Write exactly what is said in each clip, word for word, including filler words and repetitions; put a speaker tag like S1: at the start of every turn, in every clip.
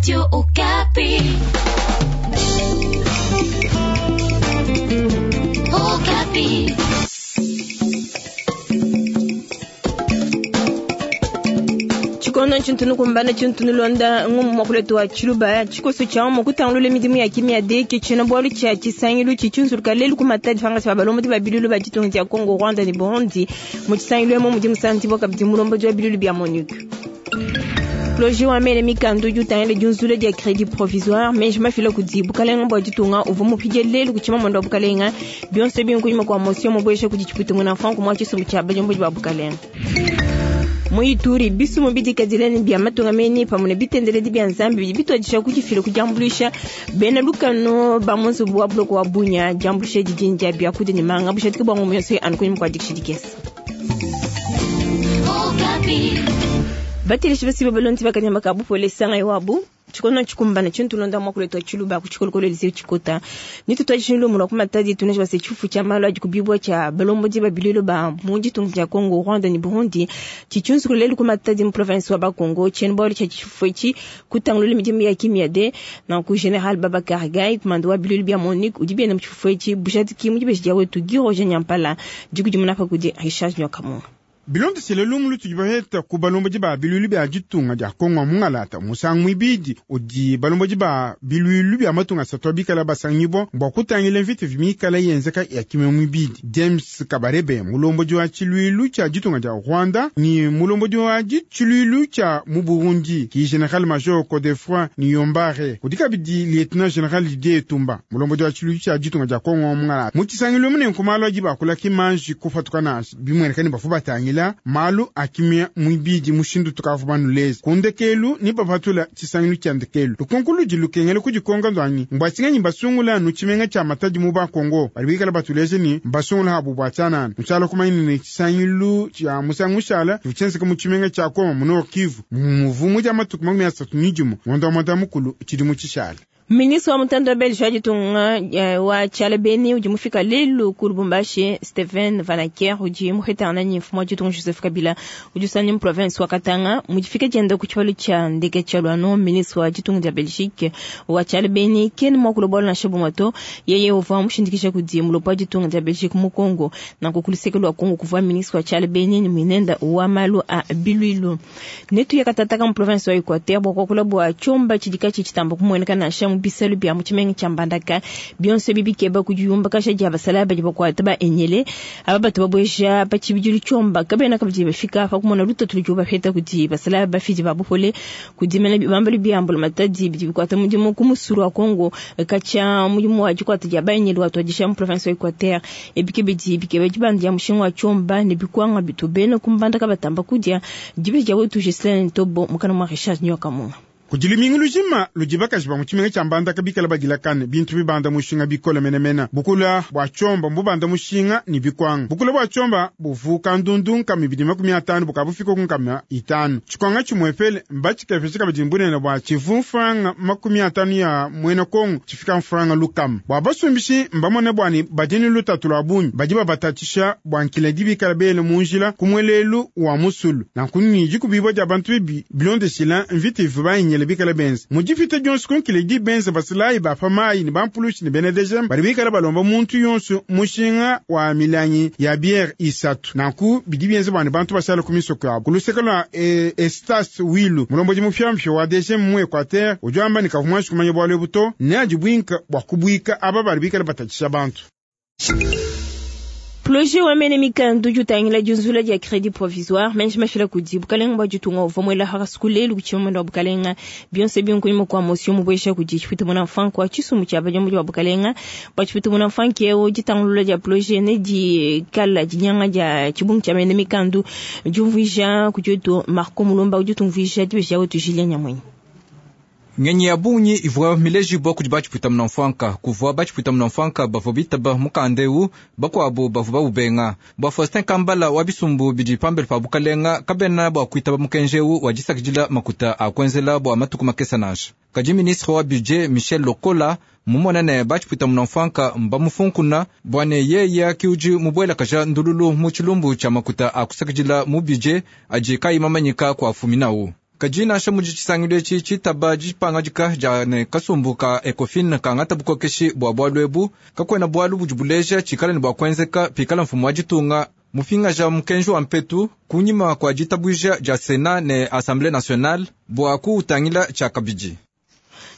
S1: Radio Okapi. Okapi.
S2: Tshikondo tshintunu kumbana tshintunu londa ngumu mwakuletu wa tshiluba tshikoso tshia mu kutangulula midimu ya kimia deke tshina bwalu tshia tshisangilu tshitshunzuluka lelu ku Matadi pangasi ba balombodi ba bilulu ba ditunga dia Congo, Rwanda ne Burundi mu tshisangilu emo mudi musanti bwa kabidi mulombodi wa bilulu bia MONUC. Projet wa mele mikandu udi utangila diunzula dia crédit provisoire menji mafila kudi bukalenga bua ditunga uvua mupidie lelu ku tshimamanda wa bukalenga bionso binkunyima kua motion mubuesha kudi tshiputu muna franco mwa tshisumbu tshia balombodi ba bukalenga. Mu Ituri bisumu bidikadilani bia matunga meni pamwe ne bitendeledi bia Nzambi bidi bituadisha kudifila kudiambuluisha bena lukano ba mu nzubu wa buloko wa Bunia diambuluisha didi dia biakudia ne manga bushadike bua ngumu yonso anu kunyima kua dikisha dikese.
S1: Okapi.
S2: Bateleshi basi babalondi bakanyama ka bupole sanga iwabu tshikono tshikumbana tshintulonda mwakuletwa tshiluba ku tshikolokolo lise tshikota ni tutwajishilo mulwa ku Matadi tuneja base tshifu tshia malu adi kubibwa tshia balombodi ba bilulu ba mu ditunga dia Congo, Rwanda ne Burundi tshitshunzukulu lelu ku Matadi mu province wa Bakongo tshiena bualu tshia tshifu etshi kutangulula midimu ya kimia de nanku General Babacar Gaye kumanda wa bilulu bia MONUC udi biena mu tshifufu etshi bujadiki mu dibeji dia wetu Guy Roger Nyampala dikudimuna pa kudi Richard Nyokamunga.
S3: Bilondesele lumu lutudi baheta ku balombodi ba bilwilu bia ditunga dia Kongo mungalata musangu mwibidi udi balombodi ba bilwilu bia matunga asatu abikala basangibwa bua kutangila mvita vimikala yenzeka ya kimia mwibidi. James Kabarebe mulombodi wa tshilwilu tshia ditunga dia Rwanda ni mulombodi wa tshilwilu tshia mu Burundi ki General Major Godefroid Niyombare kudi kabidi Lieutenant General Didier Etumba mulombodi wa tshilwilu tshia ditunga dia Kongo mungalata mu tshisangilu munenku malu adi bakula kimanji kupatuka nansha bimueneka ni bafu batangila malu akimia mwibidi mushindu tukavu banuleza kundekelu ni bapatula tshisangilu tshia ndekelu lukonko ludi lukengela kudikonga ndwanyi mbwasinganyi basungula nu tshimenga tshia Matadi mu Bakongo bali bikala batuleje ni mbasungula habu bua tshianana ntshala kumanyina ne tshisangilu tshia musangu ushala tshienzeka mu tshimenga tshia Goma mu Nord Kivu muvumu dia matuku makumi asatu ni dimue ngondo wa mwanda mukulu tshidimu tshishala.
S2: Ministre wa mutanda wa Belge wa ditunga wa tshiala Beni udi mufika lelu ku Lubumbashi Steven Vanaker udi muhetana ni mfumu wa ditunga Joseph Kabila udi usanya mu province wa Katanga mudifika dienda ku tshibalu tshia ndeke tshia Luano. Ministre wa ditunga dia Belgique wa tshiala Beni kene mwakulo bwalo nansha bumwe yeye uvua mushindikisha kudi mulopo wa ditunga dia Belgique mu Congo nanku ku luseke lua Congo kuvua ministre wa tshiala Beni ni mwinenda wa malu a bilwilu netu yakatataka mu province wa Equateur bua kuakula bua tshiomba tshidika tshitamba kumueneka nansha mu bisalu bia mu tshimenga tshia Mbandaka bionso bibikeba kudiyumba kasha dia basala badi bakuata ba enyele aba bato babuesha pa tshibidilu tshiomba kabena kabidi bafika pa kumona lutatu ludi bapeta kudi basala bafidi ba bupole kudimena bibambalu biambula Matadi bidi bikuata mudimu ku musulu wa Congo katshia mudimu wa dikuata dia baenyele watuadisha mu province wa Equateur ebike bidi bikeba dibanda dia mushinga wa tshiomba ne bikwanga bitu bena ku Mbandaka batamba kudia dibe dia wetu Gislaine Ntobo mukana mwa Richard Nyokamunga.
S3: Kudi lumingu lujima ludi bakaji ba mu tshimenga tshia Mbandaka bikala badilakane bintu bibanda mushinga bikole menemene bukula bua tshiomba mbubanda mushinga ni bikwanga bukula bua tshiomba buvuka ndundu nkama ibidi makumi atanu bukabufika ku nkama itanu tshikwanga tshimwepele mbatshikepesha kabidi mbunene bua tshivu mfranga makumi atanu ya muena Kongo tshifika mfranga lukama bua basumbishi mbamone buani badi ni lutatu lua bungi badi babatatshisha bua nkila dibikala bele mu njila ku muelelu wa musulu nanku ni dikubibua dia bantu bibi bilondeshila mvita ivu bayinyele bikala benza mudipita dionso kunkile di benza basilayi bapa mayi ne bampulushi ne bena D G M badi bikala balomba muntu yonso mushinga wa milangi ya biere isatu nanku bidi bienza bua ne bantu bashala ku misoko yabo ku luseke lua e, Estas Wilu mulombodi mupyampya wa D G M mu Equateur udi wamba ne kavua muanji kumanya bualu ebu to ne adi buinka bua kubuika aba badi bikala batatshisha bantu.
S2: Projet wa mene mikandu jutangila diunzula dia crédit provisoire menji mafila kudi bukalenga bua ditunga uvua muela hakasuku lelu ku tshimamanda wa bukalenga bionso binkunyima kua motion mubuesha kudi tshiputu muna mfanku wa tshisumbu tshia badiombo bua bukalenga bua tshiputu muna mfanku eo ditangulula dia projet ne dikala dinyanga dia tshibungu tshia mene mikandu diumvuija kudi wetu Marco Mulomba udi utumvuija dibeji wetu Julien Nyamwenyi.
S4: Ngenyi ya bungi ivua milejibua kudi batshipuita munamfwanka kuvua batshipuita munamfwanka bavua bitaba mukanda ewu bakuabu bavua baubenga bua Faustin Kambala wa bisumbu bidi pambele pa bukalenga kabena bua kuitaba mukenji ewu wa disakidila makuta a kuenzela bua matuku makesa nansha kadi ministre wa budget Michel Lokola mumona ne batshipuita munamfwanka mbamufunkuna bua ne yeya kiudi mubuelakaja ndululu mu tshilumbu tshia makuta a kusakidila mu budget adi kayi mamanyika kua fuminawu. Kadi nansha mudi tshisangilu etshi tshitaba dipangadika dia ne kasumbu ka Ecofin kangata bukokeshi bua bualu ebu, kakuena bualu budi buleja tshikala ne bua kuenzeka pikala mfumu wa ditunga mupingaja mukenji wa mpetu kunyima kua ditabuja dia Senat ne Assemblée nationale bua kuutangila tshiakabidi.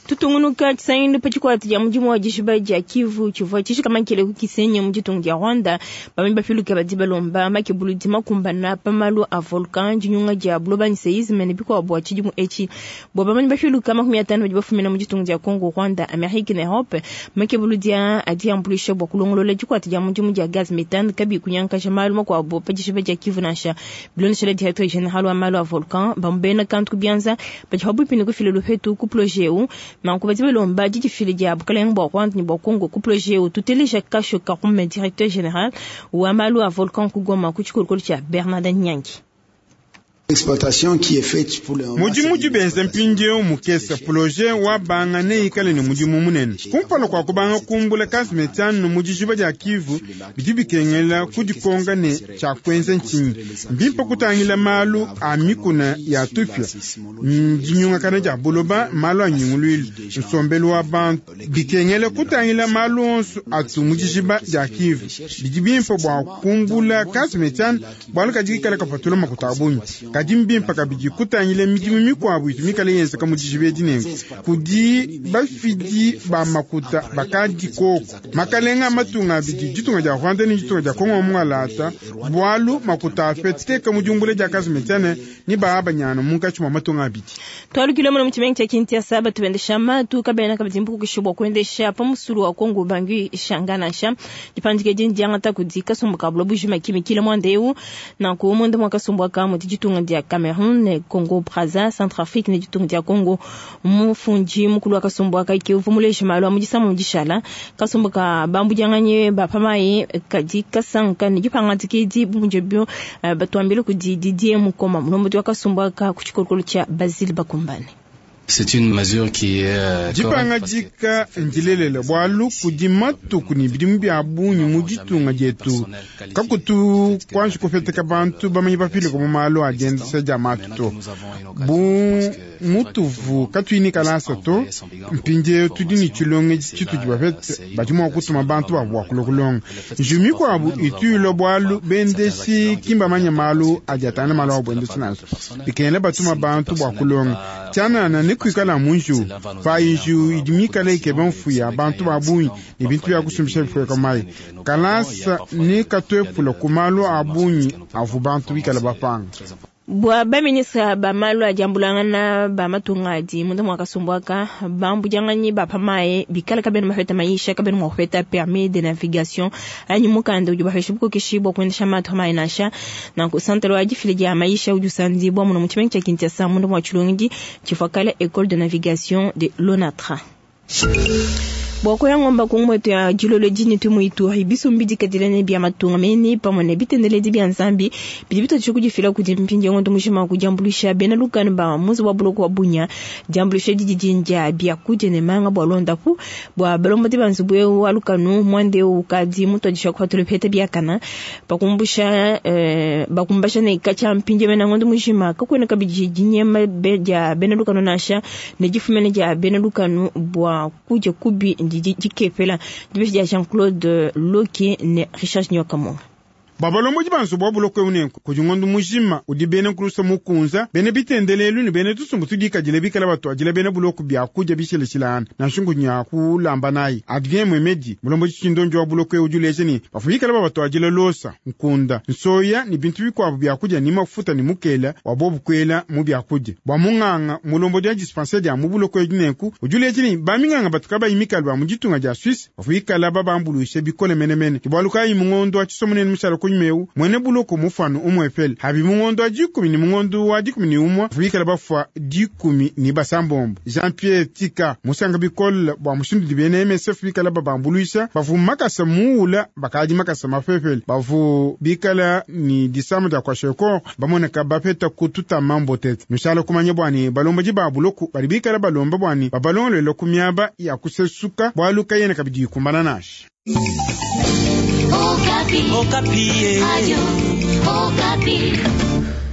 S2: Tutungunuka tshisangilu pa tshikwata dia mudimu wa dishiba dia Kivu tshivua tshishikamakile ku Kisenyi mu ditunga dia Rwanda. Bamanyi bapiluke badi balomba makebuludi makumbana pa malu a volcan, dinyunga dia buloba ne seisme ne bikuabu bua tshidimu etshi. Bua bamanyi bapiluke makumi atanu badi bafumina mu ditunga dia Congo, Rwanda, Amerique ne Europe, makebuludi aa adi ambuluisha bua kulongolola dikwata dia mudimu dia gaz methane kabi kunyankaja malu makuabu pa dishiba dia Kivu nansha. Bilondeshile directeur general wa malu a volcan bamubena kantu ku bianza badi pabuipi ne kufila lupetu ku projet eu. Nanku badi balomba didifile dia bukalenge bua Rwanda ne bua Congo ku projet eu. Tuteleja Kasho Karume, directeur general wa malu a volcan ku Goma ku tshikolokolo tshia Bernard Nyangi.
S3: Mudimu udi benza mpindieu mukese projet wa banga neikale ne mudimu munene kumpala kua kubanga kumbula gaz methane mu dijiba dia Kivu. Bidi bikengela kudikonga ne tshia kuenza ntshinyi. Mbimpe kutangila malu a mikuna ya tupia, dinyungakana dia buloba, malu a nyunguluilu, nsombelu wa bantu. Bikengela kutangila malu onso atu mu dijiba dia Kivu. Bidi bimpe bua kumbula gaz methane bualu kadi kikala kapatula makuta a bungi. Kadi mbimpe kabidi kutangila midimu mikuabu itu mikale yenzeka mu dijiba edi nenku kudi bafidi ba makuta bakadi koko makalenga matunga abidi, ditunga dia Rwanda ne ditunga dia Kongo mungalata, bualu makuta apeteka mu diumbula dia gaz methane ni baabanyana munkatshi mua matunga abidi.
S2: Twalukile muno mu tshimenga tshia Kinshasa, batu bendesha matu kabena kabidi mbukukishi bua kuendesha pa musulu wa Kongo Bangui Shanga nansha. Dipandika edi ndiangata kudi kasumbu ka buloba bujima kimikila muanda eu. Nanku munda mua kasumbu aka mudi ditunga dia Cameroun, Congo Brazza, Centrafrique ne ditunga dia Congo. Mufundi mukulu wa kasumbu aka ke uvua muleje malu a mu disamu dishala. Kasumbu ka bambudianganyi ba pa mayi kadi kasanka ne dipangadika edi bu mudibio batuambile kudi Didier Mukoma, mulombodi wa kasumbu aka ku tshikolokolo tshia Basile Bakumbane.
S5: C'est une mesure qui est
S3: dipangadika ndilelela bualu kudi matuku ne bidimu bia bungi mu ditunga dietu kakutu kuanji kupeteka bantu bamanyi bapilika mu malu a diendesa dia matu to. Bu mutuvu katuyi kalasa to, mpindieu tudi ne tshilongedi tshitudi bapete badi mua kutuma bantu babu bua kulua kulonga. Njiwu mikuabu itu ilua bualu bendeshi ki mbamanye malu adi atangila malu a buendesi nansha. Bikengela batuma bantu bua kulonga tshianana ne kuikala mu njiwu payi njiwu idi mikale ikeba mfuya bantu ba bungi ne bintu bia kusumbisha bifueka mayi. Kalasa ne katuepula ku malu a bungi avu bantu bikala bapanga.
S2: Bua baministre ba malu a diambulangana ba matunga adi munda mua kasumbu aka bambudianganyi ba pa mayi bikala kabena mapeta mayisha kabena mua kupeta permis de navigation anyi mukanda udi bapesha bukokeshi bua kuendesha matu a mayi nansha. Nanku santalo wa difila dia mayisha udi usandibua muno mu tshimenga tshia Kinshasa munda mua tshilongedi tshivua kale Ecole de navigation de l'ONATRA. Bua kuya ngomba ku ngwetu ya dilolo dini tu mu Ituri bisumbi dikadila ne bia matunga mene pamue ne bitendeledi bia Nzambi bidi bitotshi kudifila kudi mpindieu ngondo mujima kudiambuluisha bena lukanu ba muzi wa buloko wa Bunia. Diambuluisha didi dindia bia kudia ne manga bua londapu bua balombodi ba nzubu eu wa lukanu muande eu ukadi mutuadisha kupatula bipeta biakana bakumbusha eh, bakumbasha ne katshia mpindieu mena ngondo mujima kakuena kabidi dinyema dia bena lukanu nansha ne difumene dia bena lukanu bua kudia kubi dikepela. Dibeshi dia Jean-Claude Loki ne Richard Nyokamonga.
S3: Babalombodi ba nzubu wa buloko eu nenku kudi ngondo mujima udi bena nkulusa mukunza bena bitendelelu ne bena tusumbu tudikadile bikala batuadila bena buloko bia kudia bishilashilangana nansha nkunya kulamba nayi. Adrien Mwemedi mulombodi tshindonjo wa buloko eu udi uleja ne bavua bikala babatuadila losa, nkunda, nsoya ne bintu bikuabu bia kudia ni mafuta ne mukela wa bobu kuela mu bia kudia. Bua munganga mulombodi wa dispensaire dia mu buloko eu nenku udi uleja ne baminganga batu kabayi mikalu ba mu ditunga dia Suisse bavua bikala babambuluisha bikole menemene. Bualu kayi mungondo wa tshisomunene mushala kunyumeu mwene buloko mufano umwefele habi mungondo wa dikumi ni mungondo wa dikumi ni umwa bikala bafwa dikumi ni basambombo. Jean Pierre Tika musanga bikola bua mushindu di bena M S F bikala babambuluisha bavu makasa muula bakadi makasa mafefele bavu bikala ni disama dia kwasheko bamoneka bapeta kututa mambo tete nushala kumanya bwani balombaji ba buloko bali bikala balomba bwani babalongolele ku miaba ya kusesuka bwalu kayena kabidi kumbana nashi.
S1: Okapi.
S6: Okapi.
S1: Radio Okapi.